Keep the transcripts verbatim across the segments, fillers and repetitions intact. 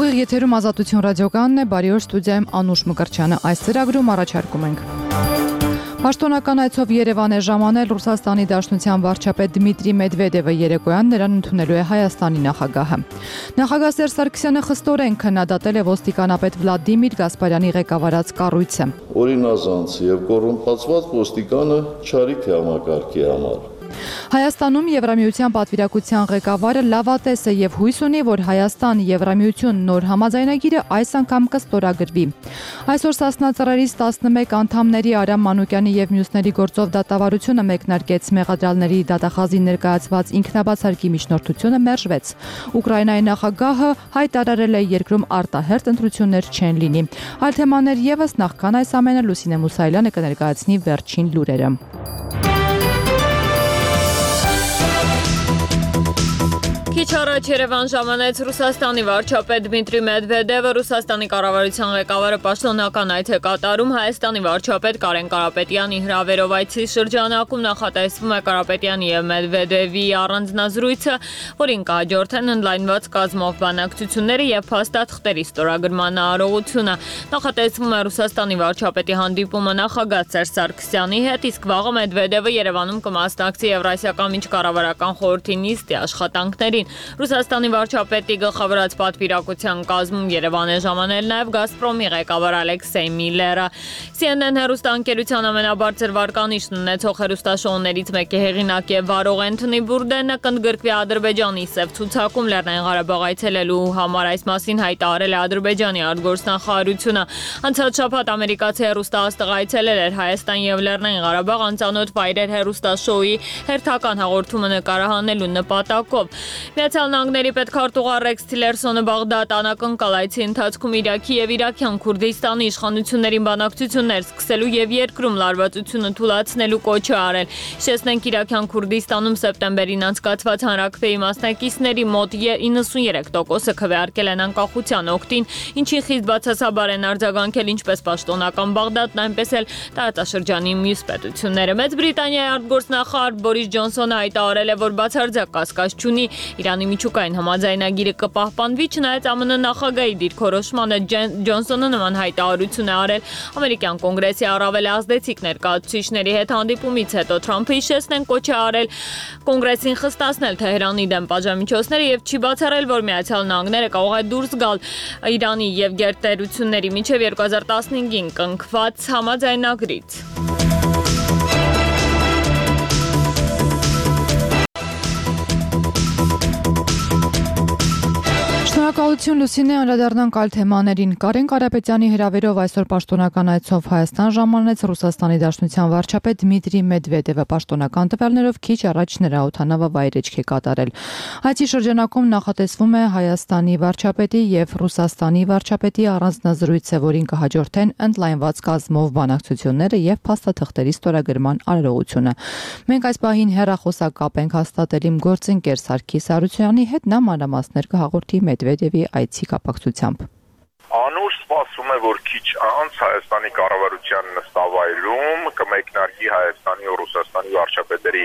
Ուղիղ եթերում Ազատություն ռադիոկայանն է, բարի օր, ստուդիայում Անուշ Մկրտչյանը։ Այս ծրագրում առաջարկում ենք Պաշտոնական այցով Երևան է ժամանել Ռուսաստանի Դաշնության վարչապետ Դմիտրի Մեդվեդևը, երեկոյան նրան ընդունելու է Հայաստանի նախագահը։ Նախագահ Սերժ Սարգսյանը խստորեն քննադատել է ոստիկանապետ Վլադիմիր Գասպարյանի ղեկավարած կառույցը։ Օրինազանց եւ կոռումպացված ոստիկանը չարիք է համակարգի համար։ Հայաստանում Եվրամիության պատվիրակության ղեկավարը լավատես է եւ հույս ունի, որ Հայաստան-Եվրամիություն նոր համաձայնագիրը այս անգամ կստորագրվի։ Այսօր Սասնա ծռերից տասնմեկ անդամների Արամ Մանուկյանի եւ մյուսների գործով դատավարությունը մեկնարկեց, մեղադրյալների դատախազին ներկայացված ինքնաբացարկի միջնորդությունը մերժվեց։ Ուկրաինայի նախագահը հայտարարել է երկրում արտահերթ ընտրություններ չեն լինի։ Այլ թեմաներ եւս, նախքան այս ամենը Լուսինե Մուսայելյանը կներկայացնի վերջին լուրերը։ Քիչ առաջ Երևան ժամանեց Ռուսաստանի վարչապետ Դմիտրի Մեդվեդևը, Ռուսաստանի կառավարության ղեկավարը պաշտոնական այց է կատարում Հայաստանի վարչապետ Կարեն Կարապետյանի հրավերով այցի շրջանակում նախատեսվում է Կարապետյանի եւ Մեդվեդևի առանձնազրույցը, որին կհաջորդեն ընդլայնված կազմով բանակցությունները եւ փաստաթղթերի ստորագրման արարողությունը։ Նախատեսվում է Ռուսաստանի վարչապետի հանդիպումը նախագահ Սերժ Սարգսյանի հետ, իսկ վաղը Մեդվեդևը Երևանում կմասնակցի Եվրասիական միջկառավարական խորհրդի նիստի աշխատանքներին։ Ռուսաստանի վարչապետի գլխավորած պատվիրակության կազմում Երևան է ժամանել նաև Գազպրոմի ղեկավար Ալեքսեյ Միլլերը։ C N N հեռուստաընկերության ամենաբարձր վարկանիշն ունեցող հեռուստաշոուներից մեկի հեղինակ եւ վարող Էնթոնի Բուրդենը կընդգրկվի Ադրբեջանի սև ցուցակում Լեռնային Ղարաբաղ այցելելու համար, այս մասին հայտարարել է Ադրբեջանի արտգործնախարարությունը։ Անցած շաբաթ ամերիկացի հեռուստաաստղ այցելել էր Հայաստան եւ Լեռնային Ղարաբաղ անծանոթ վայրեր հեռուստաշոուի հերթական հաղորդումը նկարահանելու նպատակով։ Միացյալ Նահանգների պետքարտուղար Ռեքս Թիլերսոնը Բաղդադ անակնկալ այցի ընթացքում Իրաքի եւ Իրաքյան Քուրդիստանի իշխանություններին բանակցություններ սկսելու եւ երկրում լարվածությունը թույլատնելու կոչ է արել։ Հիշեցնենք, Իրաքյան Քուրդիստանում սեպտեմբերին անցկացված հանրաքվեի մասնակիցների մոտ իննսուններեք տոկոսը քվեարկել են անկախության օգտին, ինչին խիստ բացասաբար են արձագանքել ինչպես պաշտոնական Բաղդադն, այնպես էլ տարածաշրջանի մյուս պետությունները։ Մեծ Բրիտանիայի արտգործնախարար Բորիս Ջոնսոնը հայտարարել է, որ բացարձակ կասկած չունի Իրանի միջուկային համաձայնագիրը կպահպանվի, չնայած Ամն նախագահի դիրքորոշմանը Ջոնսոնը նման հայտարարություն է արել ամերիկյան կոնգրեսի առավել ազդեցիկ ներկայացուցիչների հետ հանդիպումից հետո։ Թրամփը, հիշեցնենք, կոչ է արել կոնգրեսին խստացնել Թեհրանի դեմ պատժամիջոցները եւ չի բացառել, որ Միացյալ Նահանգները կարող է դուրս գալ Իրանի եւ գերտերությունների միջև երկու հազար տասնհինգին կնքված համաձայնագրից։ Շնորհակալություն Լուսինե, անդրադառնանք այլ թեմաներին։ Կարեն Կարապետյանի հրավերով այսօր պաշտոնական այցով Հայաստան ժամանեց Ռուսաստանի Դաշնության վարչապետ Դմիտրի Մեդվեդևը, պաշտոնական տվյալներով քիչ առաջ նրա օդանավը վայրեջք է կատարել։ Այցի շրջանակում նախատեսվում է Հայաստանի վարչապետի եւ Ռուսաստանի վարչապետի առանձնազրույցը, որին կհաջորդեն ընդլայնված կազմով բանակցությունները եւ փաստաթղթերի ստորագրման արարողությունը։ Մենք այս պահին հեռախոսակապ ենք հաստատել իմ գործընկեր Սարգիս Արությունյանի հետ, նա մանրամասներ կհաղորդի Մեդվեդևի այցի կապակցությամբ։ Անուշ սպասվում է, որ քիչ անց Հայաստանի կառավարության նստավայրում կմեկնարկի Հայաստանի ու Ռուսաստանի վարչապետերի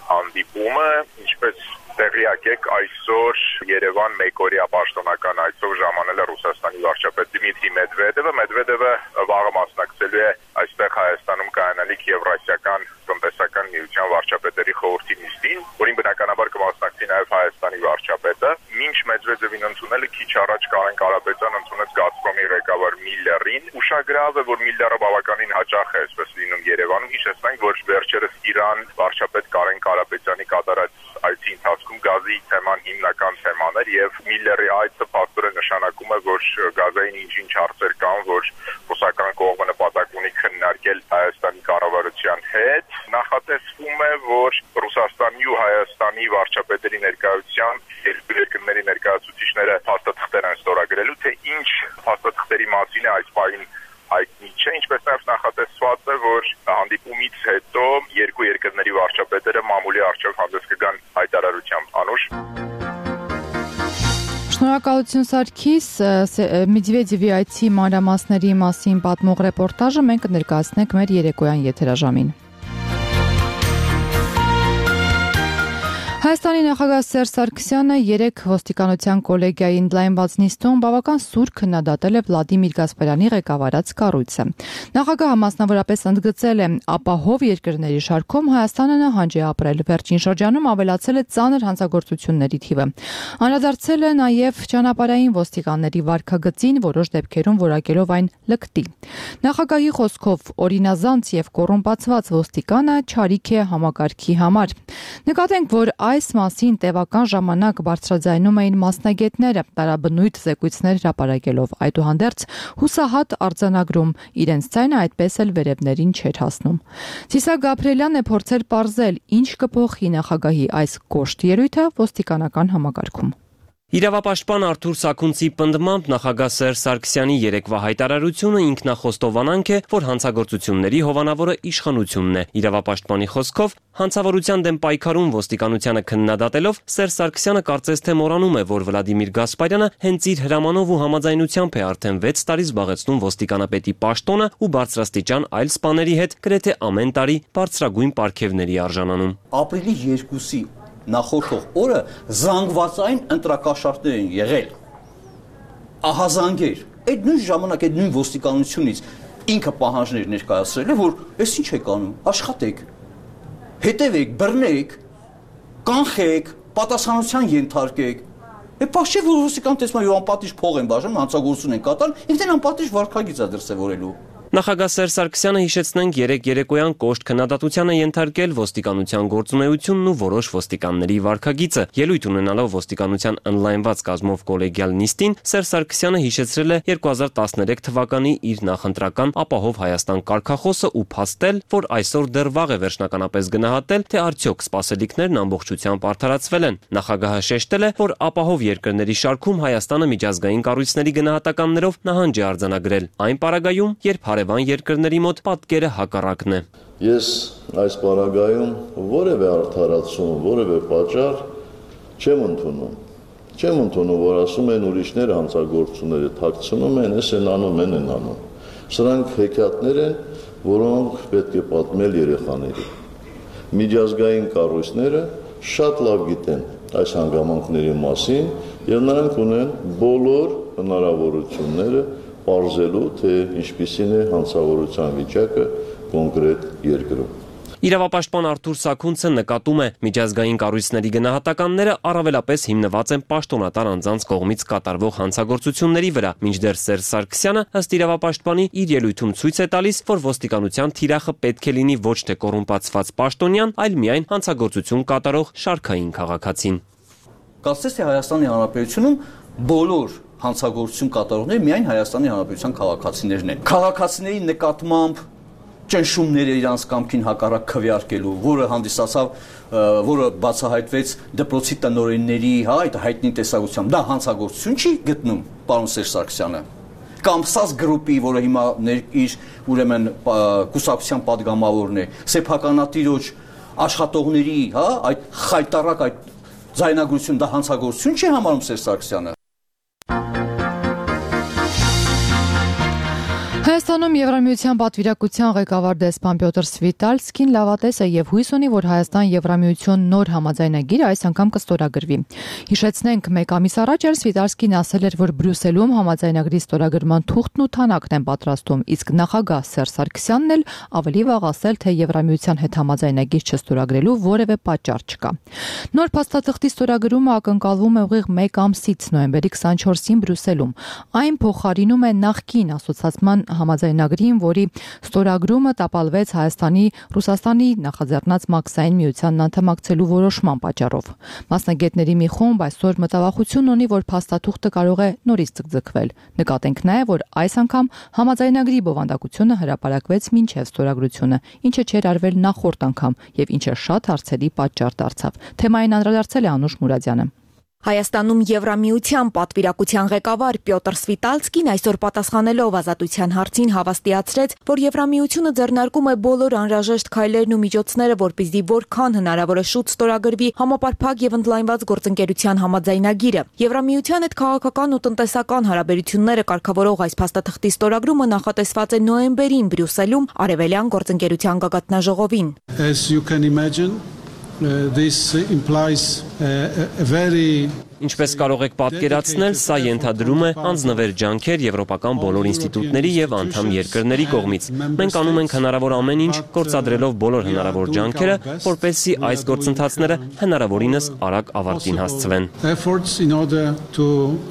հանդիպումը, ինչպես տեղյակ եք, այսօր Երևան մեկօրյա պաշտոնական այցով ժամանել է Ռուսաստանի վարչապետ Դմիտրի Մեդվեդևը։ Մեդվեդևը վաղը մասնակցելու է այստեղ Հայաստանում կայանալիք Եվրասիական տնտեսական միության վարչապետերի խորհրդի նիստին, որին բնականաբար կմասնակցի նաև Հայաստանի վարչապետը։ Մինչ Մեդվեդևին ընդունել քիչ առաջ Կարեն Կարապետյանը ընդունեց Գազպրոմի ղեկավար Միլլերին։ Ուշագրավ է, որ Միլլերը բավականին հաճախ է այսպես լինում Երևանում։ Հիշեցնենք, որ վերջերս Իրան վարչապետ Կարեն Կարապետյանի կատարած այցի ընթացքում գազի թեման հիմնական թեման էր եւ Միլլերի այցը փաստորեն նշանակում է, որ գազային ինչ-ինչ հարցեր կան, որ ռուսական կողմը նպատակ ունի քննարկել Հայաստանի կառավարության հետ։ Նախատեսվում է, որ Ռուսաստանի ու Հայաստանի վարչապետերի ներկայությամբ երկու երկրների ներկայացուցիչները փաստաթղթեր են ստորագրելու, թե ինչ փաստաթղթերի մասին է այս պահին հայտնի չէ, ինչպես նաև նախատեսված է, որ հանդիպումից հետո երկու երկրների վարչապետերը մամուլի առջև հանդես կգան հայտարարությամբ։ Անուշ։ Շնորհակալություն Սարգիս, Մեդվեդևի այցի մանրամասների մասին պատմող ռեպորտաժը մենք կներկայացնենք մեր երեկոյան եթերաժամին։ Հայաստանի նախագահ Սերժ Սարգսյանը երեկ ոստիկանության կոլեգիայի ընդլայնված նիստում բավական սուր քննադատել է Վլադիմիր Գասպարյանի ղեկավարած կառույցը։ Նախագահը մասնավորապես ընդգծել է ապահով երկրների շարքում Հայաստանը նահանջ է ապրել, վերջին շրջանում ավելացել է ծանր հանցագործությունների թիվը։ Անդրադարձել է նաև ճանապարհային ոստիկանների վարքագծին, որոշ դեպքերում որակելով այն լկտի։ Նախագահի խոսքով օրինազանց եւ կոռումպացված ոստիկանը չարիք է համակարգի համար։ Նկատենք, որ այս մասին տևական ժամանակ բարձրաձայնում էին մասնագետները, տարաբնույթ զեկույցներ հրապարակելով, այդուհանդերձ հուսահատ արձանագրում, իրենց ձայնը այդպես էլ վերևներին չէր հասնում։ Ցիսակ Գաբրելյանն է փորձել պարզել, ինչ կփոխի նախագահի այս կոշտ ելույթը ոստիկանական համակարգում։ Իրավապաշտպան Արթուր Սաքունցի պնդմամբ նախագահ Սերժ Սարգսյանի երեկվա հայտարարությունը ինքնախոստովանանք է, որ հանցագործությունների հովանավորը իշխանությունն է։ Իրավապաշտպանի խոսքով հանցավորության դեմ պայքարում ոստիկանությանը քննադատելով Սերժ Սարգսյանը կարծես թե մոռանում է, որ Վլադիմիր Գասպարյանը հենց իր հրամանով ու համաձայնությամբ է արդեն վեց տարի զբաղեցնում ոստիկանապետի պաշտոնը ու բարձրաստիճան այլ սպաների հետ գրեթե ամեն տարի բարձրագույն պարգևների արժանանում։ Ապրիլի երկուսի նախորդող օրը զանգվածային ընտրակաշառքներ են եղել, ահազանգեր, այդ նույն ժամանակ, այդ նույն ոստիկանությունից ինքը պահանջներ ներկայացրել է, որ ես ինչ եք անում, աշխատեք, հետևեք, բռնեք, կանխեք, պատասխանության ենթարկեք, է պաշտի, որ ոստիկան տեսնում է անպատիժ փող են բաժանում, հանցագործություն են կատարում, ինքն անպատիժ վարքագիծ է դրսևորելու։ Նախագահ Սերժ Սարգսյանը հիշեցնենք երեք երեկոյան կոշտ քննադատության է ենթարկել ոստիկանության գործունեությունն ու որոշ ոստիկանների վարքագիծը։ Ելույթ ունենալով ոստիկանության ընդլայնված կազմով կոլեգիալ նիստին Սերժ Սարգսյանը հիշեցրել է երկու հազար տասներեք թվականի իր նախընտրական ապահով Հայաստան կարգախոսը ու փաստել, որ այսօր դեռ վաղ է վերջնականապես գնահատել, թե արդյոք սպասելիքներն ամբողջությամբ արդարացվել են։ Նախագահը շեշտել է, որ ապահով երկրների շարքում Հայաստանը միջազգային կառույցների գնահատականներով նահանջ է արձանագրել։ Այն պարագայում, երբ հարևան երկրների մոտ պատկերը հակառակն է։ Ես այս պարագայում որևէ արդարացում, որևէ պատճառ չեմ ընդունում։ Չեմ ընդունում, որ ասում են ուրիշները հանցագործությունները թաքցնում են, ես են անում, են են անում։ Սրանք հեքիաթներ են, որոնք պետք է պատմել երեխաների։ Միջազգային կառույցները շատ լավ գիտեն այս հանգամանքների մասին եւ նրանք ունեն բոլոր հնարավորությունները պարզելու, թե ինչպիսին է հանցավորության վիճակը կոնկրետ երկրում։ Իրավապաշտպան Արթուր Սաքունցը նկատում է միջազգային կառույցների գնահատականները առավելապես հիմնված են պաշտոնատար անձանց կողմից կատարվող հանցագործությունների վրա, մինչդեռ Սերժ Սարգսյանը ըստ իրավապաշտպանի իր ելույթում ցույց է տալիս, որ ոստիկանության թիրախը պետք է լինի ոչ թե կոռումպացված պաշտոնյան, այլ միայն հանցագործություն կատարող շարքային քաղաքացին։ Կարծես թե Հայաստանի Հանրապետությունում բոլոր հանցագործություն կատարողները միայն Հայաստանի Հանրապետության քաղաքացիներն են։ Քաղաքացիների նկատմամբ ճնշումները իրանց կամքին հակառակ քվեարկելու, որը հանդիսացավ, որը բացահայտվեց դպրոցի տնօրենների, հա, այդ հայտնի տեսակցությամբ, դա հանցագործություն չի գտնում պարոն Սերժ Սարգսյանը։ Կամ ՍԱՍ գրուպի, որը հիմա իր ուրեմն կուսակցության падգամավորն է, սեփականատիրոջ աշխատողների, հա, այդ խայտարակ այդ ձայնագրություն, դա հանցագործություն չի համարում Սերժ Սարգսյանը։ Հայաստանում Եվրամիության պատվիրակության ղեկավար դեսպան Պյոտր Սվիտալսկին լավատես է եւ հույս ունի, որ Հայաստան-Եվրամիություն նոր համաձայնագիրը այս անգամ կստորագրվի։ Հիշեցնենք, մեկ ամիս առաջ էլ Սվիտալսկին ասել էր, որ Բրյուսելում համաձայնագրի ստորագրման թուղթն ու թանաքն են պատրաստում, իսկ նախագահ Սերժ Սարգսյանն էլ ավելի վաղ ասել, թե Եվրամիության հետ համաձայնագիր չստորագրելու որևէ պատճառ չկա։ Նոր փաստաթղթի ստորագրումը ակնկալվում է ուղիղ մեկ ամսից նոյեմբերի քսանչորսին Բրյուսելում։ Այն փոխարինում է նախկին ասոցիացիան համաձայնագրին, որի ստորագրումը տապալվեց Հայաստանի Ռուսաստանի նախաձեռնած մաքսային միությանն անդամակցելու որոշման պատճառով։ Մասնագետների մի խումբ այսօր մտավախություն ունի, որ փաստաթուղթը կարող է նորից ձգձգվել։ Նկատենք նաև, որ այս անգամ համաձայնագրի բովանդակությունը հրապարակվեց մինչև ստորագրությունը, ինչը չէր արվել նախորդ անգամ եւ ինչը շատ հարցերի պատճառ դարձավ։ Թեմային անդրադարձել է Անուշ Մուրադյանը։ Հայաստանում Եվրամիության պատվիրակության ղեկավար Պյոտր Սվիտալսկին այսօր պատասխանելով ազատության հարցին հավաստիացրեց, որ Եվրամիությունը ձեռնարկում է բոլոր անհրաժեշտ քայլերն ու միջոցները, որպեսզի որքան հնարավոր է շուտ ստորագրվի համապարփակ եւ ընդլայնված գործընկերության համաձայնագիրը։ Եվրամիության հետ քաղաքական ու տնտեսական հարաբերությունները կարգավորող այս փաստաթղթի ստորագրումը նախատեսված է նոյեմբերին Բրյուսելում արևելյան գործընկերության գագաթնաժողովին։ As you can imagine, this implies a, a very Ինչպես կարող եք պատկերացնել, սա ենթադրում է անձնվեր ջանքեր եվրոպական բոլոր ինստիտուտների եւ անդամ երկրների կողմից։ Մենք անում ենք հնարավոր ամեն ինչ, գործադրելով բոլոր հնարավոր ջանքերը, որպեսզի այս գործընթացները հնարավորինս արագ ավարտին հասցվեն։ Efforts in order to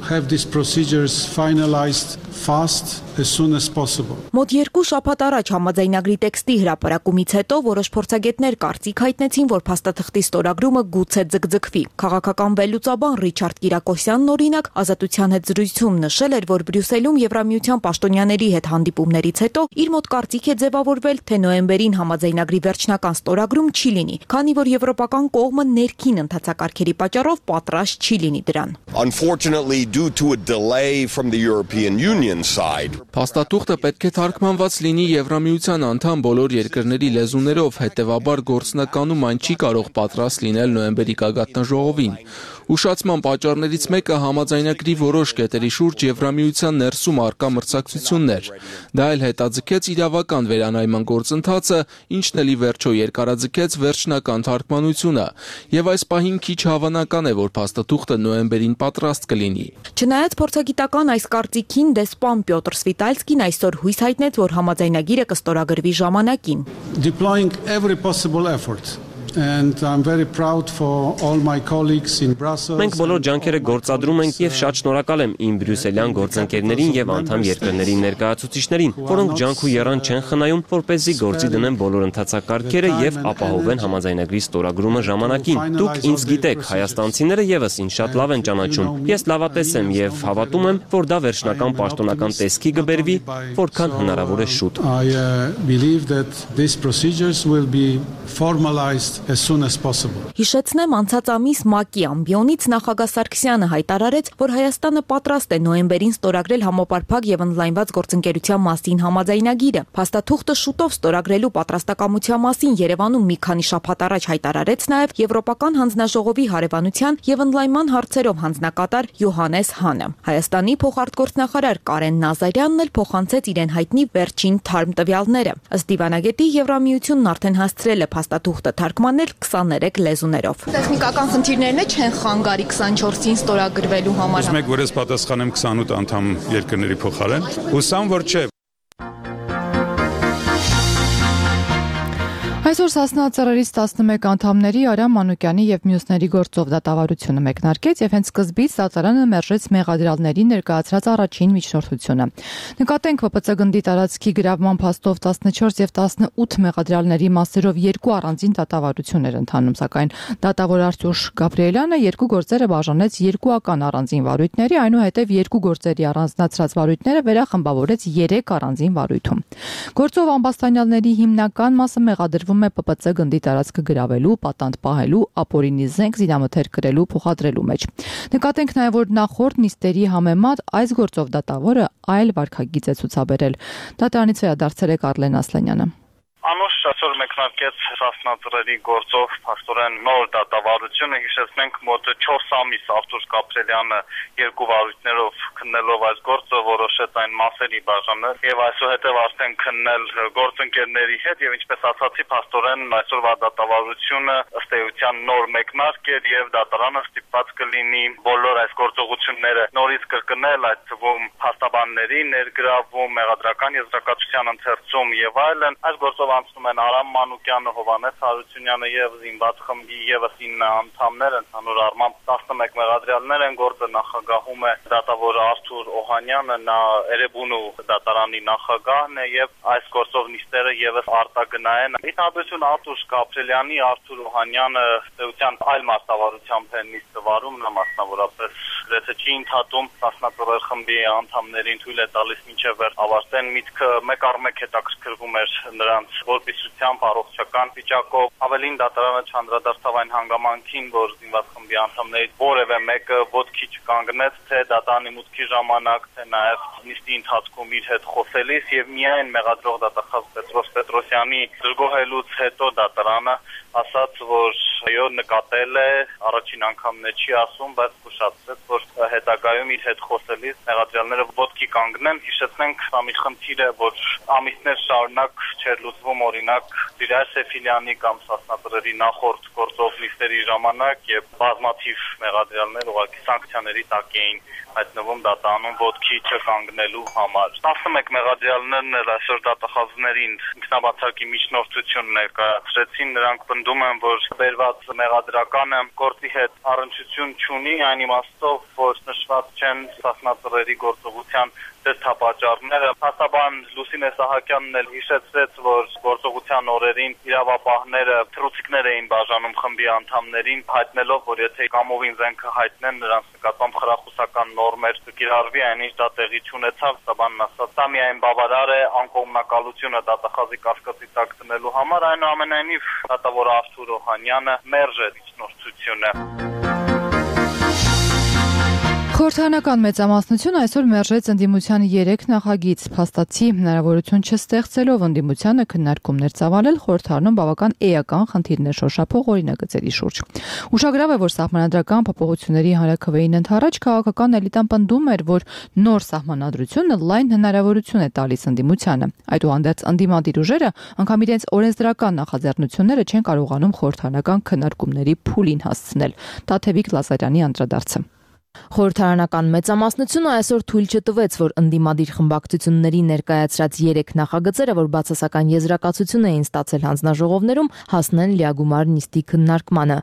have these procedures finalized fast as soon as possible. Մոտ երկու շաբաթ առաջ համաձայնագրի տեքստի հրապարակումից հետո որոշ փորձագետներ կարծիք հայտնեցին, որ փաստաթղթի ստորագրումը գուցե ձգձգվի։ Քաղաքական վերլուծաբան Ռիչարդ Կիրակոսյանն օրինակ ազատության հետ զրույցում նշել էր, որ Բրյուսելում Եվրամիության պաշտոնյաների հետ հանդիպումներից հետո իր մոտ կարծիք է ձևավորվել, թե նոյեմբերին համաձայնագրի վերջնական ստորագրում չի լինի, քանի որ եվրոպական կողմը ներքին ընթացակարգերի պատճառով պատրաստ չի լինի դրան։ Unfortunately, due to a delay from the European Union side. Փաստաթուղթը պետք է թարգմանված լինի Եվրամիության անդամ բոլոր երկրների լեզուներով, հետևաբար գործնականում այն չի կարող պատրաստ լինել նոյեմբերի գագաթնաժողովին։ Ուշացման պատճառներից մեկը համաձայնագրի որոշ կետերի շուրջ Եվրամիության ներսում առկա մրցակցությունն էր։ Դա էլ հետաձգեց իրավական վերանայման գործընթացը, ինչն էլ ի վերջո երկարաձգեց վերջնական թարգմանությունը, եւ այս պահին քիչ հավանական է, որ փաստաթուղթը նոյեմբերին պատրաստ կլինի։ Չնայած փորձագիտական այս կարծիքին, դեսպան Պյոտր Սվիտալսկին այսօր հույս հայտնեց, որ համաձայնագիրը կստորագրվի ժամանակին։ Deploying every possible effort. And I'm very proud for all my colleagues in Brussels. Մենք բոլոր ջանքերը գործադրում ենք եւ շատ շնորհակալ եմ իմ բրյուսելյան գործընկերներին եւ անդամ երկրների ներկայացուցիչներին, որոնք ջանք ու եռան չեն խնայում, որպեսզի գործի դնեն բոլոր ընթացակարգերը եւ ապահովեն համաձայնագրի ստորագրումը ժամանակին։ Դուք ինձ գիտեք, հայաստանցիները եւս ինձ շատ լավ են ճանաչում։ Ես լավատես եմ եւ հավատում եմ, որ դա վերջնական պաշտոնական տեսքի կբերվի, որքան հնարավոր է շուտ։ I uh, believe that these procedures will be formalized as soon as possible. Հիշեցնեմ, անցած ամիս ՄԱԿ-ի ամբիոնից նախագահ Սարգսյանը հայտարարեց, որ Հայաստանը պատրաստ է նոյեմբերին ստորագրել համապարփակ եւ ընդլայնված գործընկերության մասին համաձայնագիրը։ Փաստաթուղթը շուտով ստորագրելու պատրաստակամության մասին Երևանում մի քանի շաբաթ առաջ հայտարարեց նաեւ Եվրոպական հանձնաժողովի հարևանության եւ ընդլայնման հարցերով հանձնակատար Յոհանես Հանը։ Հայաստանի փոխարտգործնախարար Կարեն Նազարյանն էլ փոխանցեց իրեն հայտնի վերջին թարմ տվյալները։ Ըստ դիվանագետի Եվրամիությունն արդեն հասցրել է փաստաթուղթը թարգմանել քսաներեք լեզուներով։ Տեխնիկական խնդիրներն է չեն խանգարի քսանչորսին ստորագրվելու համար։ Ուզում եք, որ ես պատասխանեմ քսանութ անդամ երկրների փոխարեն։ Հուսամ, որ չէ։ Այսօր Սասնա ծռերից տասնմեկ անդամների Արամ Մանուկյանի եւ մյուսների գործով դատավարությունը մեկնարկեց եւ հենց սկզբից դատարանը մերժեց մեղադրյալների ներկայացրած առաջին միջնորդությունը։ Նկատենք ՎՊՑ գնդի տարածքի գրավման փաստով տասնչորս եւ տասնութ մեղադրյալների մասերով երկու առանձին դատավարություն էր ընթանում, սակայն դատավոր Արտուշ Գաբրիելյանը երկու գործերը բաժանեց երկուական առանձին վարույթների, այնուհետև երկու գործերի առանձնացրած վարույթները վերախմբավորեց երեք առանձին վարույթում։ Գործով ամբաստանյալների հիմնական մասը մեղադրվում է ՊՊՑ գնդի տարածքը գրավելու, պատանդ պահելու, ապօրինի զենք զինամթերք կրելու, փոխադրելու մեջ։ Նկատենք նաև, որ նախորդ նիստերի համեմատ այս գործով դատավորը այլ վարքագիծ է ցուցաբերել։ Դատարանից վերադարձել է Կարլեն Ասլանյանը։ Անուշ այսօր մեկնարկեց Սասնա ծռերի գործով փաստորեն նոր դատավարությունը, հիշեցնենք մոտ չորս ամիս Արտուշ Գաբրիելյանը երկու վարույթներով քննելով այս գործը որոշեց այն մասերի բաժանել եւ այսուհետեւ արդեն քննել գործընկերների հետ եւ ինչպես ասացի փաստորեն այսօրվա դատավարությունը ըստ էության նոր մեկնարկ էր եւ դատարանը ստիպված կլինի բոլոր այս գործողությունները նորից կրկնել, այդ թվում փաստաբանների ներգրավում, մեղադրական եզրակացության ընթերցում եւ այլն։ Այս գործով անցնում են Արամ Մանուկյանը, Հովհաննես Հարությունյանը եւ զինված խմբի եւս ինը անդամներ, ընդհանուր առմամբ տասնմեկ մեղադրյալներ են, գործը նախագահում է դատավոր Արթուր Օհանյանը, նա Էրեբունու դատարանի նախագահն է եւ այս գործով նիստերը եւս արտագնային։ Ի տարբերություն Արտուշ Գաբրիելյանի, Արթուր Օհանյանը ըստեյության այլ մասնավորությամբ է նիստը վարում, նա մասնավորապես գրեթե չի ընդհատում Սասնա ծռեր խմբի անդամներին թույլ է տալիս մինչև վեր ավարտեն միտքը մեկ առ մեկ հետաքրքրվում էր նրանց որպիսությամբ առողջական վիճակով, ավելին դատարանը չանդրադարձավ այն հանգամանքին, որ զինված խմբի անդամներից որևէ մեկը ոտքի չկանգնեց, թե դատարանի մուտքի ժամանակ, թե նաև նիստի ընթացքում իր հետ խոսելիս եւ միայն մեղադրող դատախազ Պետրոս Պետրոսյանի դժգոհելուց հետո դատարանը ասաց, որ այո նկատել է, առաջին անգամն է չի ասում, բայց զգուշացրեց, որ հետագայում իր հետ խոսելիս մեղադրյալները ոտքի կանգնեն, հիշեցնենք սա մի խնդիր է, որ ամիսներ շարունակ չէր լուծվում, օրինակ Դիրայր Սեֆիլյանի կամ Սասնատրերի նախորդ գործող լիստերի ժամանակ եւ բազմաթիվ մեղադրյալներ ուղղակի սանկցիաների տակ էին հայտնվում դատանում ոտքի չկանգնելու համար։ տասնմեկ մեղադրյալներն էլ այսօր դատախազներին ինքնաբացարկի միջնորդություն ներկայացրեցին, նրանք պնդում են, որ բերված մեղադրականը գործի հետ առնչություն չունի, այն իմաստով, որ նշված չեն Սասնատրերի գործողության դրդապատճառները։ Հաստաբան Լուսինե Սահակյանն էլ հիշեցրեց, որ գործողության օրերին իրավապահները թռուցիկներ էին բաժանում խմբի անդամներին, հայտնելով, որ եթե կամովին զենքը հայտնեն, նրանց նկատմամբ խրախուսական նորմեր կկիրառվի, այնինչ դա տեղի չունեցավ։ Հաստաբանն ասաց, դա միայն բավարար է անկողմնակալությունը դատախազի կասկածի տակ դնելու համար, այնուամենայնիվ դատավոր Արթուր Օհանյանը մերժ է միջնորդությունը։ Խորհրդարանական մեծամասնությունը այսօր մերժեց ընդդիմության երեք նախագիծ, փաստացի հնարավորություն չստեղծելով ընդդիմությանը քննարկումներ ծավալել խորհրդարանում բավական էական խնդիրներ շոշափող օրինագծերի շուրջ։ Ուշագրավ է, որ սահմանադրական փոփոխությունների հանրաքվեին ընդառաջ քաղաքական էլիտան պնդում էր, որ նոր սահմանադրությունը լայն հնարավորություն է տալիս ընդդիմությանը։ Այդուհանդերձ ընդդիմադիր ուժերը անգամ իրենց օրենսդրական նախաձեռնությունները չեն կարողանում խորհրդարանական քննարկումների փուլին հասցնել։ Տաթևիկ Լազարյանի անդրադարձը։ Խորհրդարանական մեծամասնությունը այսօր թույլ չտվեց, որ ընդդիմադիր խմբակցությունների ներկայացրած երեք նախագծերը, որ բացասական եզրակացություն էին ստացել հանձնաժողովներում, հասնեն լիագումար նիստի քննարկմանը։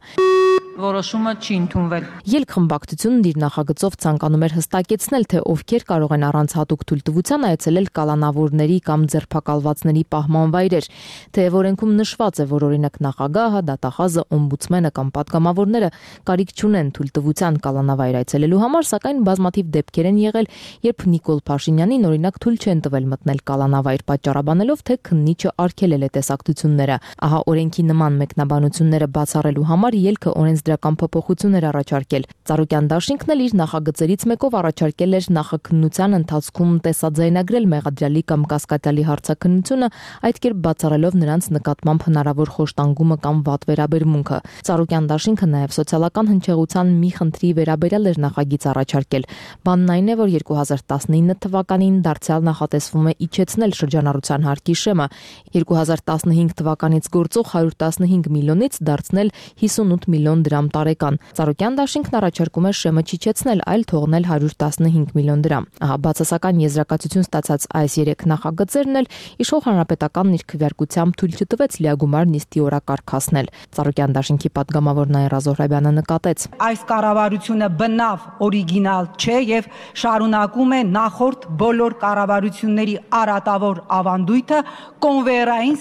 Որոշումը չի ընդունվել։ Ելք խմբակցությունն իր նախագծով ցանկանում էր հստակեցնել, թե ովքեր կարող են առանց հատուկ թույլտվության այցելել կալանավորների կամ ձերբակալվածների պահման վայրեր, թեև օրենքում նշված է, որ օրինակ նախագահը, դատախազը, օմբուդսմենը կամ պատգամավորները կարիք չունեն թույլտվության կալանավայր այցելելու համար, սակայն բազմաթիվ դեպքեր են եղել, երբ Նիկոլ Փաշինյանին օրինակ թույլ չեն տվել մտնել կալանավայր, պատճառաբանելով, թե քննիչը արգելել է տեսակցությունները։ Ահա օրենքի նման մեկնաբանությունները բացառելու համար ելքը օրենսդրական փոփոխություններ առաջարկել։ Ծառուկյան դաշինքն էլ իր նախագծերից մեկով առաջարկել էր նախաքննության ընթացքում տեսաձայնագրել մեղադրյալի կամ կասկածյալի հարցաքննությունը, այդ կերպ բացառելով նրանց նկատմամբ հնարավոր խոշտանգումը կամ վատ վերաբերմունքը։ Ծառուկյան դաշինքը նաև սոցիալական հնչեղության մի խնդրի վերաբերյալ էր նախագիծ առաջարկել։ Բանն այն է, որ երկու հազար տասնինը թվականին դարձյալ նախատեսվում է իջեցնել շրջանառության հարկի շեմը, երկու հազար տասնհինգ թվականից գործող հարյուր տասնհինգ միլիոնից դարձնել հիսունութ միլիոն դրամ տարեկան։ Ծառուկյան դաշինքն առաջարկում է շեմը չիջեցնել, այլ թողնել հարյուր տասնհինգ միլիոն դրամ։ Ահա բացասական եզրակացություն ստացած այս երեք նախագծերն էլ իշխող հանրապետականն իր քվեարկությամբ թույլ չտվեց լիագումար նիստի օրակարգ հասնել։ Ծառուկյան դաշինքի պատգամավոր Նաիրա Զոհրաբյանը նկատեց. Այս կառավարությունը բնավ օրիգինալ չէ եւ շարունակում է նախորդ բոլոր կառավարությունների արատավոր ավանդույթը կոնվեյերային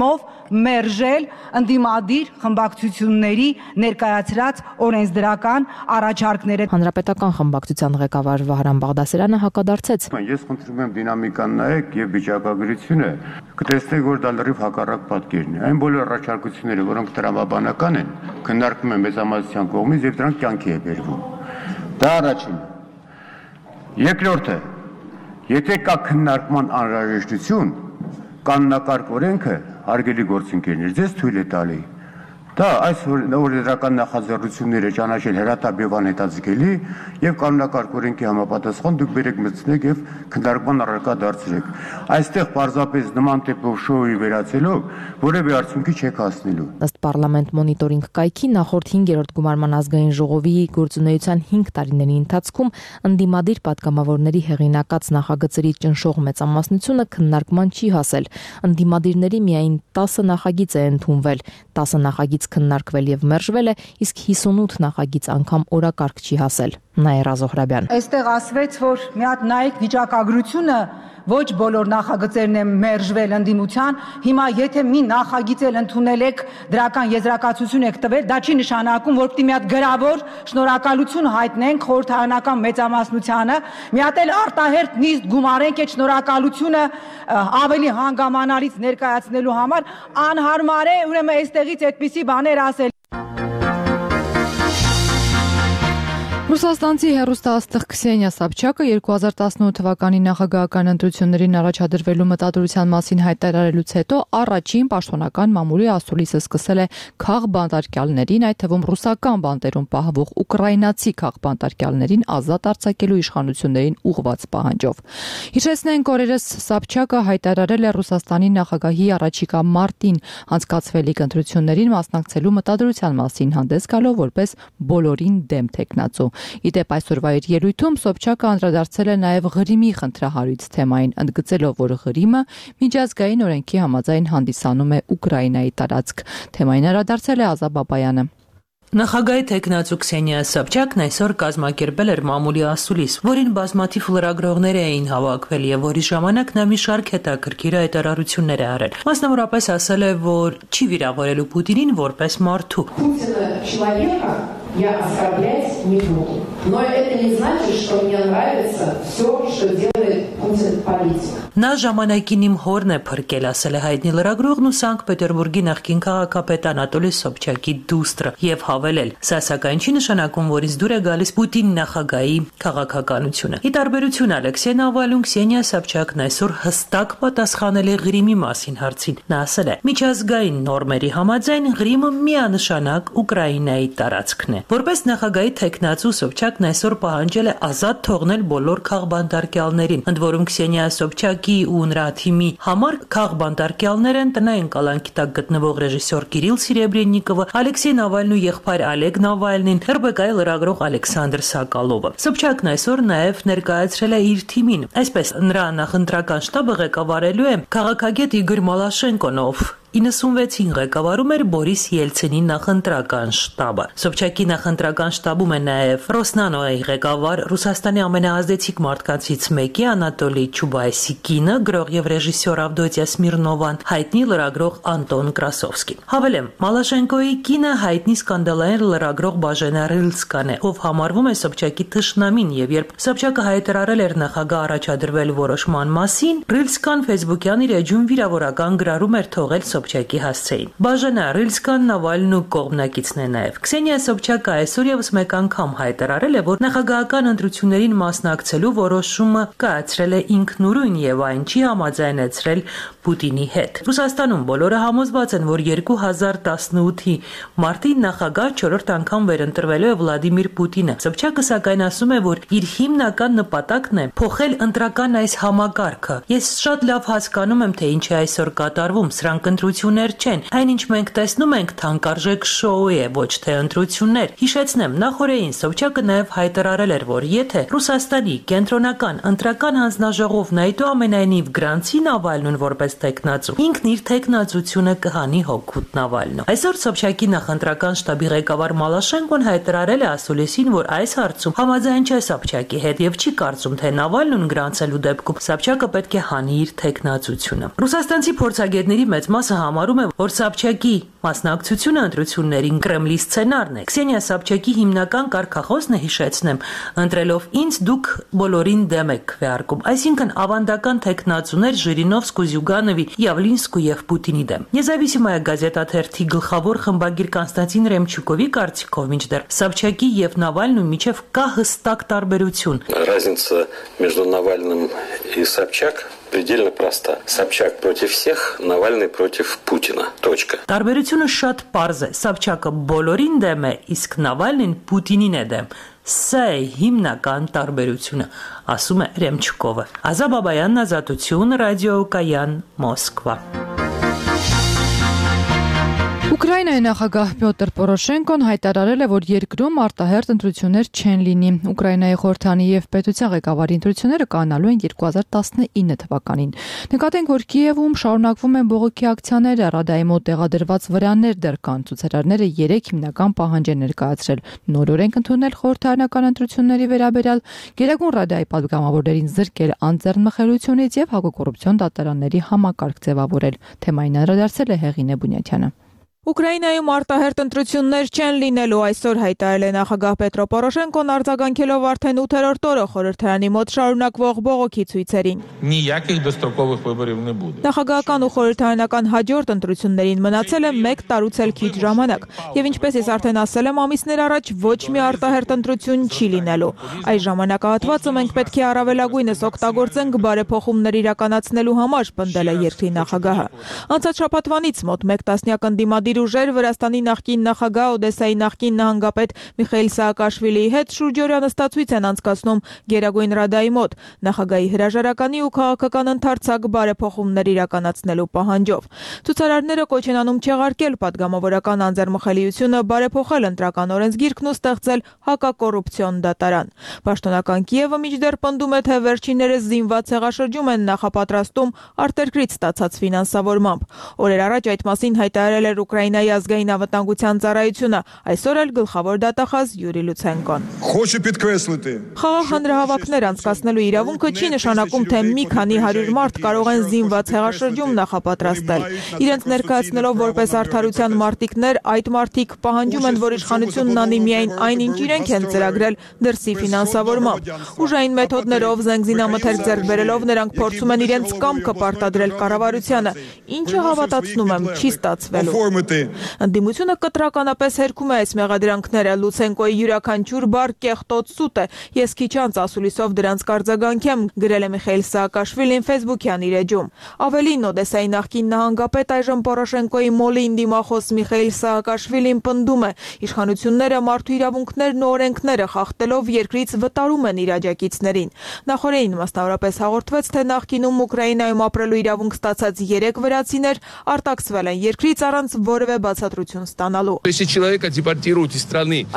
համակարգով մերժել ընդդիմադիր խմբակցությունների ներկայացրած օրենսդրական առաջարկները։ Հանրապետական խմբակցության ղեկավար Վահրամ Բաղդասարյանը հակադարձեց. Ես խնդրում եմ դինամիկան նայեք եւ վիճակագրությունը, կտեսնեք, որ դա լրիվ հակառակ պատկերն է։ Այն բոլոր առաջարկությունները, որոնք տրամաբանական են, քննարկվում են մեծամասնության կողմից եւ դրանք կյանքի է բերվում։ Դա առաջինը։ Երկրորդը, եթե կա քննարկման անհրաժեշտություն, կանոնակարգ օրենքը հարգելի գործընկերներ, ձեզ թույլ է տալի դա այս օրենսդրական նախաձեռնությունները ճանաչել հրատապ եւ անհետաձգելի եւ կանոնակարգ օրենքի համապատասխան դուք բերեք մտցնեք եւ քննարկման առարկա դարձրեք։ Այստեղ պարզապես նման տիպով շոուի վերացելով որևէ արդյունքի չեք հասնելու։ Ըստ Պարլամենտ մոնիտորինգ կայքի նախորդ հինգերորդ գումարման ազգային ժողովի գործունեության հինգ տարիների ընթացքում ընդդիմադիր պատգամավորների հեղինակած նախագծերի ճնշող մեծամասնությունը քննարկման չի հասել։ Ընդդիմադիրների միայն տասը նախագիծ է ընդունվել, տասը նախագիծ քննարկվել եւ մերժվել է, իսկ հիսունութ նախագիծ անգամ օրակարգ չի հասել։ Նաիրա Զոհրաբյան. Այստեղ ասվեց, որ մի հատ նայեք վիճակագրությունը, ոչ բոլոր նախագծերն են մերժվել ընդդիմության, հիմա եթե մի նախագիծ էլ ընդունել եք, դրական եզրակացություն եք տվել, դա չի նշանակում, որ պիտի մի հատ գրավոր շնորհակալություն հայտնենք խորհրդարանական մեծամասնությանը, մի հատ էլ արտահերթ նիստ գումարենք այդ շնորհակալությունը ավելի հանգամանալից ներկայացնելու համար, անհարմար է, ուրեմն այստեղից այդպիսի բաներ ասել։ Ռուսաստանցի հեռուստաաստղ Քսենիա Սաբչակը երկու հազար տասնութ թվականի նախագահական ընտրություններին առաջադրվելու մտադրության մասին հայտարարելուց հետո առաջին պաշտոնական մամուլի ասուլիսը սկսել է քաղբանտարկյալներին, այդ թվում ռուսական բանտերում պահվող ուկրաինացի քաղբանտարկյալներին ազատ արձակելու իշխանություններին ուղղված պահանջով։ Հիշեցնենք, օրերս Սաբչակը հայտարարել է Ռուսաստանի նախագահի առաջիկա մարտին անցկացվելիք ընտրություններին մասնակցելու մտադրության մասին, հանդես գալով որպես բոլորին դեմ թեկնածու։ Իդեպ այսօրվա իր ելույթում Սոբչակը անդրադարձել է նաև Ղրիմի խնդրահարույց թեմային, ընդգծելով, որ Ղրիմը միջազգային օրենքի համաձայն հանդիսանում է Ուկրաինայի տարածք։ Թեմային անդրադարձել է Ազա Բաբայանը։ Նախագահի թեկնածու Քսենիա Սաբչակն այսօր կազմակերպել էր մամուլի ասուլիս, որին բազմաթիվ լրագրողներ էին հավաքվել եւ որի ժամանակ նա մի շարք հետաքրքիր հայտարարություններ է արել։ Մասնավորապես ասել է, որ չի վիրավորելու Պուտինին որպես մարդու։ Я оскорблять не буду. Но это не значит, что мне нравится все, что делает Путин политик. Նա ժամանակին իմ հորն է փրկել, ասել է հայտնի լրագրողն ու Սանկտ Պետերբուրգի նախկին քաղաքապետ Անատոլի Սոբչակի դուստրը եւ հավելել. Սա սակայն չի նշանակում, որ ինձ դուր է գալիս Պուտին նախագահի քաղաքականությունը։ Ի տարբերություն Ալեքսեյ Նավալնու, Քսենիա Սաբչակն այսօր հստակ պատասխանել է Ղրիմի մասին հարցին։ Նա ասել է. միջազգային նորմերի համաձայն Ղրիմը միանշանակ Ուկրաինայի տարածքն է։ Որպես նախագահի թեկնածու Սոբչակն այսօր պահանջել է ազատ թողնել բոլոր քաղբանտարկյալներին, ընդ որում Քսենիա Սոբչակի ու նրա թիմի համար քաղբանտարկյալներ են տնային կալանքի տակ գտնվող ռեժիսոր Կիրիլ Սիրեբրեննիկովը, Ալեքսեյ Նավալնու եղբայր Ալեգ Նավալնին, эр бэ կա-ի լրագրող Ալեքսանդր Սակալովը։ Սոբչակն այսօր նաև ներկայացրել է իր թիմին, այսպես նրա նախընտրական շտաբը ղեկավարելու է քաղաքագետ Իգոր Մալաշենկոն, ով իննսունվեցին ղեկավարում էր Բորիս Ելցինի նախընտրական շտաբը։ Սոբչակի նախընտրական շտաբում է նաև Ռոսնանոյի ղեկավար Ռուսաստանի ամենաազդեցիկ մարդկանցից մեկի Անատոլի Չուբայսի կինը, գրող եւ ռեժիսոր Ավդոտիա Սմիրնովան, հայտնի լրագրող Անտոն Կրասովսկին։ Հավելեմ, Մալաշենկոյի կինը հայտնի սկանդալային լրագրող Բաժենա Ռիլսկան է, ով համարվում է Սոբչակի թշնամին, եւ երբ Սոբչակը հայտարարել էր նախագահ առաջադրվելու որոշման մասին, Ռիլսկան Facebook-յան իր էջում վիրավորական գրառում էր թողել Սոբչակի հասցեին։ Բաժենա Ռիլսկան Նավալնու կողմնակիցն է նաև։ Քսենիա Սոբչակը այսօր եւս մեկ անգամ հայտարարել է, որ նախագահական ընտրություններին մասնակցելու որոշումը կայացրել է ինքնուրույն եւ այն չի համաձայնեցրել Պուտինի հետ։ Ռուսաստանում բոլորը համոզված են, որ երկու հազար տասնութի մարտին նախագահ չորրորդ անգամ վերընտրվելու է Վլադիմիր Պուտինը։ Սոբչակը սակայն ասում է, որ իր հիմնական նպատակն է փոխել ընտրական այս համակարգը։ Ես շատ լավ հասկանում եմ, թե ինչ է այսօր կատարվում, սրանք ընտրություններ չեն։ Այնինչ մենք տեսնում ենք, թանկարժեք շոու է, ոչ թե ընտրություններ։ Հիշեցնեմ, նախորդին Սոբչակը նաև հայտարարել էր, որ եթե Ռուսաստանի կենտրոնական ընտրական հանձնաժողովն այդուամենայնիվ գրանցի Նավալնուն որպես տեխնացու, ինքն իր տեխնացությունը կհանի հօգուտ Նավալնու։ Այսօր Սոբչակի նախընտրական շտաբի ղեկավար Մալաշենկոն հայտարարել է ասուլիսին, որ այս հարցում համաձայն չէ Սոբչակի հետ եւ չի կարծում, թե Նավալնուն գրանցելու դեպքում Սոբչակը պետք է հանի իր տեխնացությունը։ Ռուսաստանցի փորձագետների մեծ մասը համարում է, որ Սոբչակի մասնակցությունը ընտրություններին Կրեմլի սցենարն է։ Քսենիա Սոբչակի հիմնական կարգախոսն է, հիշեցնեմ, ընտրելով ինձ դուք բոլորին դեմ եք քվեարկում, այսինքն ավանդական տեխնացուներ Ժիրինովսկու, Զյուգանովի, Յավլինսկու եւ Պուտինի դեմ։ Նեզավիսիմայա գազետա թերթի գլխավոր խմբագիր Կոնստանտին Ռեմչուկովի կարծիքով, մինչդեռ Սոբչակի եւ Նավալնու միջև կա հստակ տարբերություն։ Разница между Навальным и Собчак предельно проста. Собчак против всех, Навальный против Путина. Точка. Տարբերությունը շատ պարզ է։ Սոբչակը բոլորին դեմ է, իսկ Նավալնին Պուտինին է դեմ։ Սա է հիմնական տարբերությունը, ասում է Ռեմչուկովը։ Ազա Բաբայան, Ազատություն, Ռադիո Կայան, Մոսկվա։ Ուկրաինայի նախագահ Պյոտր Պորոշենկոն հայտարարել է, որ երկրում արտահերթ ընտրություններ չեն լինի։ Ուկրաինայի խորհրդանի եւ պետության ղեկավարի ընտրությունները կանալու են երկու հազար տասնինը թվականին։ Նկատենք, որ Կիևում շարունակվում են բողոքի ակցիաները, Ռադայի մոտ տեղադրված վրաններ դեռ կան։ Ցուցարարները երեք հիմնական պահանջ են ներկայացրել՝ նոր օրենք ընդունել խորհրդարանական ընտրությունների վերաբերյալ, Գերագույն Ռադայի պատգամավորներին զրկել անձեռնմխելիությունից եւ հակակոռուպցիոն դատարանների համակարգ ձևավորել։ Թեմային անդրադարձել է Հեղինե Բունյաթյանը։ Ուկրաինայում արտահերտ ընտրություններ չեն լինելու, այսօր հայտարարել է նախագահ Պետրո Պորոշենկոն, արձագանքելով արդեն ութերորդ օրը խորհրդարանի մոտ շարունակվող բողոքի ցույցերին։ Նախագահական ու խորհրդարանական հաջորդ ընտրություններին մնացել է մեկ տարուց էլ քիչ ժամանակ, եւ ինչպես ես արդեն ասել եմ ամիսներ առաջ, ոչ մի արտահերտ ընտրություն չի լինելու։ Այս ժամանակահատվածը մենք պետք է առավելագույնս օգտագործենք բարեփոխումներ իրականացնելու համար, պնդել է երկրի նախագահը։ Անցած շաբաթվանից մոտ մեկ տասնյակ ընդդիմադիր ուժեր Վրաստանի նախկին նախագահ Օդեսայի նախկին նահանգապետ Միխայիլ Սաակաշվիլիի հետ շուրջօրյա նստածույց են անցկացնում Գերագույն Ռադայի մոտ, նախագահի հրաժարականի ու քաղաքական ընդարձակ բարեփոխումներ իրականացնելու պահանջով։ Ցուցարարները կոչ են անում չեղարկել падգամավորական անձեռմխելիությունը, բարեփոխել ընտրական օրենսգիրքն ու ստեղծել հակակոռուպցիոն դատարան։ Պաշտոնական Կիևը մինչդեռ պնդում է, թե վերջիններս զինված հեղաշրջում են նախապատրաստում արտերկրից ստացած ֆինանսավորմամբ։ Օրեր առաջ այդ մասին հայտարարել էր Ուկրաինայի ազգային անվտանգության ծառայությունը, այսօր էլ գլխավոր դատախազ Յուրի Լուցենկոն։ Խաղաղ հանրահավաքներ անցկացնելու իրավունքը չի նշանակում, թե մի քանի հարյուր մարդ կարող են զինված հեղաշրջում նախապատրաստել։ Իրենց ներկայացնելով որպես արդարության մարտիկներ, այդ մարտիկ պահանջում են, որ իշխանությունն անի միայն այն, ինչ իրենք են ծրագրել դրսի ֆինանսավորմամբ։ Ուժային մեթոդներով, զենգզինամթերք ձեռք բերելով նրանք փորձում են իրենց կամքը պարտադրել կառավարությանը, ինչը հավատացնում եմ, չի ստացվելու։ Ընդդիմությունը կտրականապես հերքում է այս մեղադրանքները, Լուցենկոյի յուրաքանչյուր բառ կեղտոտ սուտ է, ես քիչ անց ասուլիսով դրանց կարձագանքեմ, գրել է Միխայիլ Սաակաշվիլին Facebook-յան իր էջում։ Ավելին, Օդեսայի նախկին նահանգապետ այժմ Պորոշենկոյի մոլին դիմախոս Միխայիլ Սաակաշվիլին պնդում է, իշխանությունները մարդու իրավունքներն ու օրենքները խախտելով երկրից վտարում են իր աջակիցներին։ Նախորդին մասնավորապես հաղորդվեց, թե նախկինում Ուկրաինայում ապրելու իրավունք ստացած երեք վրացիներ արտաքսվել են երկրից առանց որևէ բացատրություն ստանալու։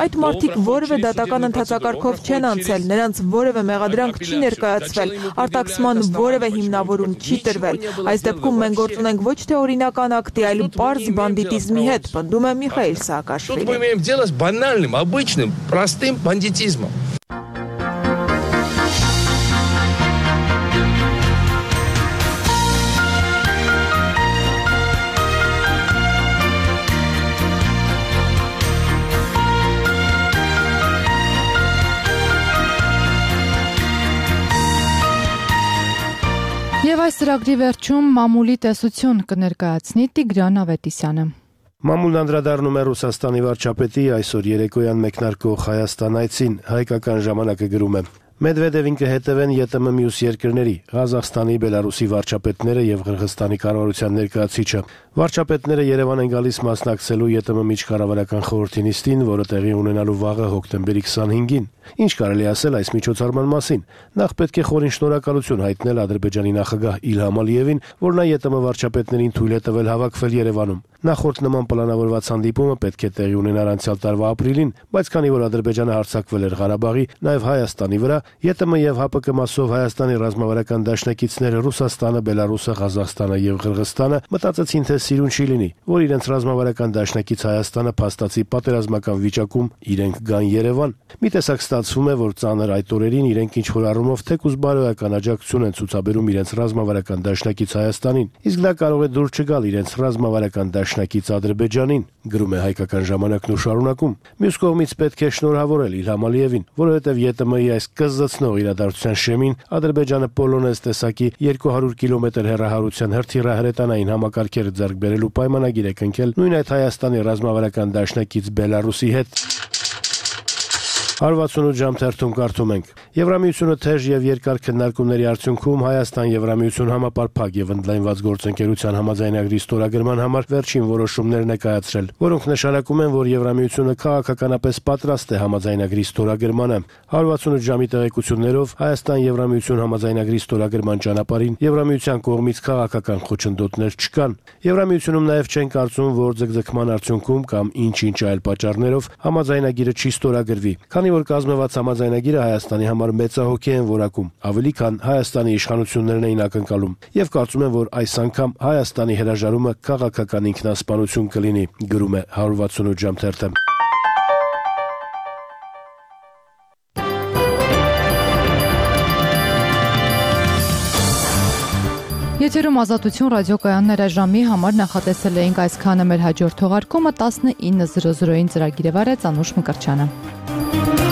Այդ մարդիկ որևէ դատական ընթացակարգով չեն անցել, նրանց որևէ մեղադրանք չի ներկայացվել, արտաքսման որևէ հիմնավորում չի տրվել։ Այս դեպքում մենք գործ ունենք ոչ թե օրինական ակտի, այլ պարզ բանդիտիզմի հետ, պնդում է Միխայիլ Սաակաշվիլին։ Եվ այս ծրագրի վերջում մամուլի տեսություն կներկայացնի Տիգրան Ավետիսյանը։ Մամուլն անդրադառնում է Ռուսաստանի վարչապետի այսօր երեկոյան մեկնարկող Հայաստան այցին, հայկական ժամանակը գրում է. Մեդվեդևին կհետևեն ԵՏՄ մյուս երկրների, Ղազախստանի, Բելարուսի վարչապետները եւ Ղրղստանի կառավարության ներկայացուցիչը։ Վարչապետները Երևան են գալիս մասնակցելու ԵՏՄ միջկառավարական խորհրդի նիստին, որը տեղի ունենալու վաղը հոկտեմբերի քսանհինգին։ Ինչ կարելի ասել այս միջոցառման մասին։ Նախ պետք է խորին շնորհակալություն հայտնել Ադրբեջանի նախագահ Իլհամ Ալիևին, որ նա ԵՏՄ վարչապետներին թույլ է տվել հավաքվել Երևանում։ Նախորդ նման պլանավորված հանդիպումը պետք է տեղի ունենար անցյալ տարվա ապրիլին, բայց քանի որ Ադրբեջանը հարձակվել էր Ղարաբաղի, նաև Հայաստանի վրա, ԵՏՄ եւ ՀԱՊԿ մասով Հայաստանի ռազմավարական դաշնակիցները Ռուսաստանը, Բելարուսը, Ղազախստանը եւ Ղրղստանը մտածեցին, թե սիրուն չի լինի, որ իրենց ռազմավարական դաշնակից Հայաստանը փաստացի պատերազմական վիճակում իրենք գան Երևան։ Մի տեսակ ստացվում է, որ ծանր այդ օրերին իրենք ինչ-որ առումով թեկուզ բարոյական աջակցություն են ցուցաբերում իրենց ռազմավարական դաշնակից Հայաստանին, իսկ դա կարող է դուր չգալ իրենց ռազմավարական դաշնակից Ադրբեջանին, գրում է հայկական ժամանակն ու շարունակում։ Մյուս կողմից պետք է շնորհավորել Իլհամ Ալիևին, որովհետև ԵՏՄ-ի այս կզզցնող իրադարձության շեմին Ադրբեջանը Պոլոնեզ տեսակի երկու հարյուր կիլոմետր հեռահարության հրթիռահրետանային համակարգերը ձեռք բերելու պայմանագիր է կնքել նույն այդ Հայաստանի ռազմավարական դաշնակից Բելարուսի հետ։ հարյուր վաթսունութ ժամ թերթում կարդում ենք. Եվրամիությունը թեժ եւ երկար քննարկումների արդյունքում Հայաստան-Եվրամիություն համապարփակ եւ ընդլայնված գործընկերության համաձայնագրի ստորագրման համար վերջին որոշումներ ներկայացրել, որոնք նշանակում են, որ Եվրամիությունը քաղաքականապես պատրաստ է համաձայնագրի ստորագրմանը։ հարյուր վաթսունութ ժամի տեղեկություններով Հայաստան-Եվրամիություն համաձայնագրի ստորագրման ճանապարհին Եվրամիության կողմից քաղաքական խոչընդոտներ չկան։ Եվրամիությունում նաեւ չեն կարծում, որ ձգձգման արդյունքում կամ ինչ-ինչ այլ պատճառներով համաձայնագիրը չի ստորագրվի, քանի որ կազմված համաձայնագիրը Հայաստանի համար մեծահոգի են որակում, ավելի քան Հայաստանի իշխանություններն էին ակնկալում, եւ կարծում են, որ այս անգամ Հայաստանի հրաժարումը քաղաքական ինքնասպանություն կլինի, գրում է հարյուր վաթսունութ ժամ թերթը։ Եթերում Ազատություն ռադիոկայաններ ժամի համար նախատեսել էինք այսքանը, մեր հաջորդ թողարկումը տասնինը զրո զրոին ծրագիրը վարեց Անուշ Մկրտչյանը։